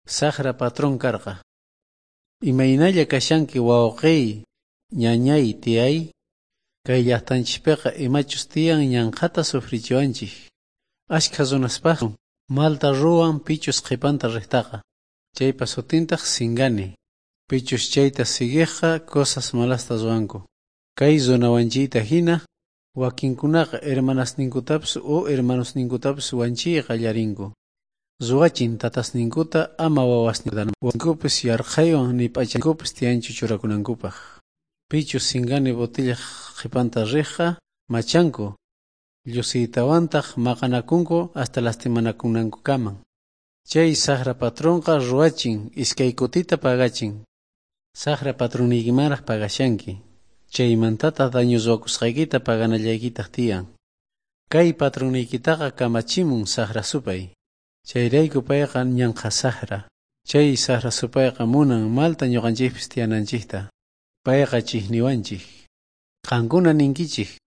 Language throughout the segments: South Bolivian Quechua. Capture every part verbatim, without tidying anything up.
Sajra patrón karqa. Imaynalla kashanki wawqiy, ñañay, tiyay? Kay llaqtanchikpiqa imachus tiyan ñanqhata sufrichiwanchik. Ashkha runaspaq malta ruwan pichus qhipanta riqtaqa. Chaypa sutintaq singani. Pichus chayta siguiqqa cosas malasta ruwanku. Kay runawanchiyta hina wakinkunaqa hermanasninkutapis o hermanosninkutapis wanchiy qallarinku. Ruwachin tatasninkuta ama wawasninkupis yarqhaywan ni p'achankupis tiyanchu churakunankupaq. Pichus singani botellaj qhipanta riqqa machanku, llusiytawantaq maqanakunku hasta lastimanakunankukaman. Chay sajra patronqa ruwachin iskay kutita pagachin. Sajra patronniykimanraq pagashanki. Chaymantataq daño ruwakusqaykita paganallaykitaq tiyan. Kay patronniykitaqa kamachimun sajra supay. Chayrayku payqa ñanqa sajra. Chay sajra supayqa munan malta ñuqanchikpis tiyananchikta. Payqa chiqniwanchik. Qankuna ninkichik.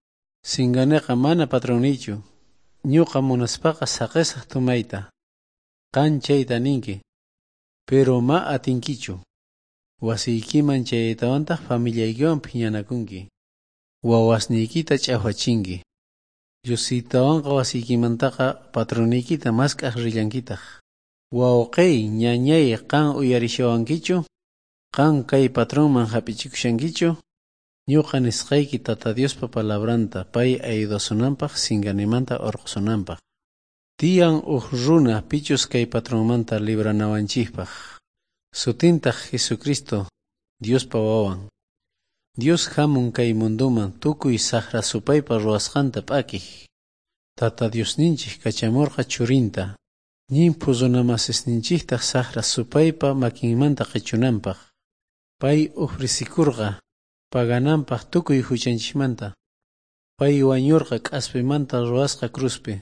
Singaneqa mana patronniychu. Ñuqa munaspaqa saqisaq tumayta. Qan chayta ninki. Pero ma atinkichu. Wasiykiman chayaytawantaq familiaykiwan phiñanakunki. Wawasniykita ch'awachinki. Llusiytawanqa wasiykimantaqa patronniykita mask'aq rillankitaq. Wawqiy, ñañay, qan uyarishawankichu? Qan kay patronman hap'ichikushankichu? Ñuqa nisqayki Tata Diospa palabranta pay ayudasunanpaq singanimanta urqusunanpaq. Tiyan uj runa pichus kay patronmanta libranawanchikpaq. Sutintaq Jesucristo, Diospa wawan. Dios hamun kay munduman tukuy sajra supaypa ruwasqanta p'akiq. Tata Diosninchik kachamurqa churinta. Llimphu runamasisninchiktaq sajra supaypa makinmanta qichunanpaq. Pay ofrecikurqa pagananpaq tukuy huchanchikmanta. Pay wañurqa k'aspimanta ruwasqa cruzpi.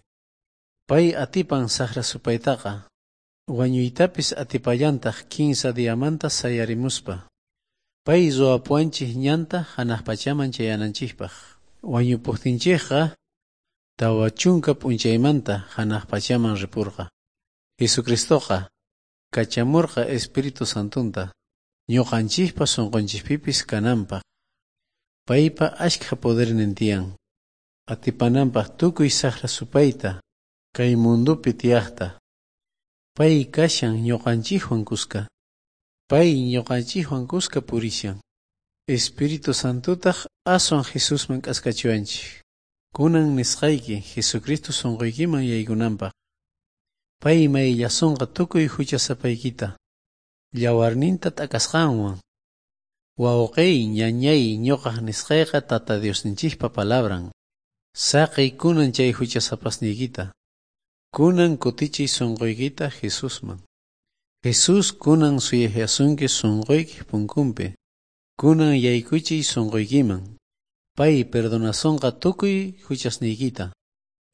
Pay atipan sajra supaytaqa. Wañuytapis atipallantaq kinsa diamanta sayarimuspa. Pay ruwapuwanchik ñanta hanaq pachaman chayananchikpaq. Wañupuqtinchikqa tawa chunka p'unchaymanta hanaq pachaman ripurqa. Jesucristoqa kachamurqa Espíritu Santunta ñuqanchikpa sunqunchikpipis kananpaq. Paypa ashkha podernin tiyan. Atipananpaq tukuy sajra supayta kay mundupi tiyaqta. Pay kashan ñuqanchikwan kuska. Pay ñuqanchikwan kuska purishan. Espíritu Santutaq aswan Jesusman k'askachiwanchik. Kunan nisqayki Jesucristo sunquykiman yaykunanpaq. Pay mayllasunqa tukuy huchasapaykita. Yawarninta t'akasqanwan. Wawqiy, ñañay, ñuqaq nisqayqa Tata Diosninchikpa palabran. Saqiy kunan chay huchasapasniykita. Kunan kutichiy sunquykita Jesusman. Jesús kunan suyayasunki sunquykiq punkunpi. Kunan yaykuchiy sunquykiman. Pay perdonasonqa tukuy huchasniykita.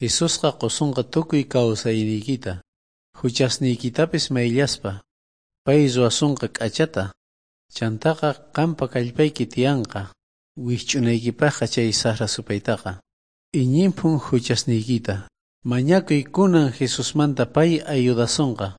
Jesusqa qusunqa tukuy kawsayniykita. Huchasniykitapis mayllaspa. Pay ruwasunqa k'achata. Chantaqa qampa kallpayki tiyanqa. Wikch'unaykipaqqa chay sajra supaytaqa. Iñinphun huchasniykita. Mañakuy kunan Jesusmanta pay ayudasonqa.